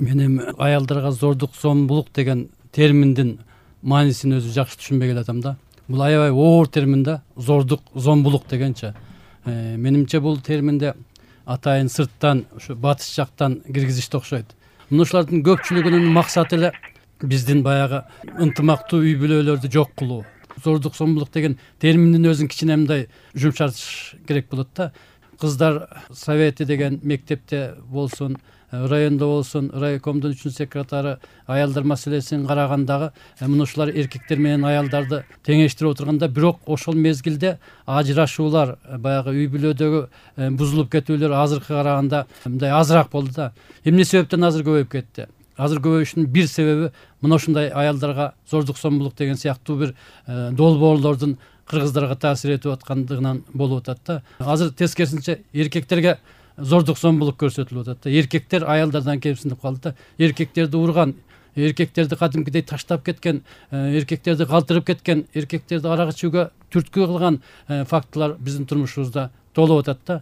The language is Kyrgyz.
Мен эми аялдарга зордук, зомбулук деген терминдин маанисин өзү жакшы түшүнбөй келатам да. Бул аябай оор термин да, зордук, зомбулук дегенчи. Менимче бул терминде атайын сырттан, ушу батыш жактан киргизишти окшойт. Мунушулардын көпчүлүгүнүн максаты эле биздин баягы ынтымактуу үй бүлөлөрдү жок кылуу. Зордук, зомбулук деген терминдин өзүн кичине мындай жумшартыш керек болот да. Кыздар совети деген мектепте болсун, райондо болсун, райкомдун 3-секретары аялдар маселесин карагандагы мынушулар эркектер менен аялдарды теңештирип отурганда, бирок ошол мезгилде ажырашуулар, баягы үй бүлөдөгү бузулуп кетүүлөр азыркыга караганда мындай азыраак болду да. Эмне себептен азыр көбөйүп кетти? Азыр көбөйүшүнүн бир себеби мына ушундай аялдарга зордук, зомбулук деген сыяктуу бир долбоорлордун кыргыздарга таасир этип аткандыгынан болуп атат да. Азыр тескерисинче эркектерге зордук, зомбулук көрсөтүлүп атат да. Эркектер аялдардан кемсинип калды да. Эркектерди урган, эркектерди кадимкидей таштап кеткен, эркектерди калтырып кеткен, эркектерди арак ичүүгө түрткү кылган фактылар биздин турмушубузда толуп атат да.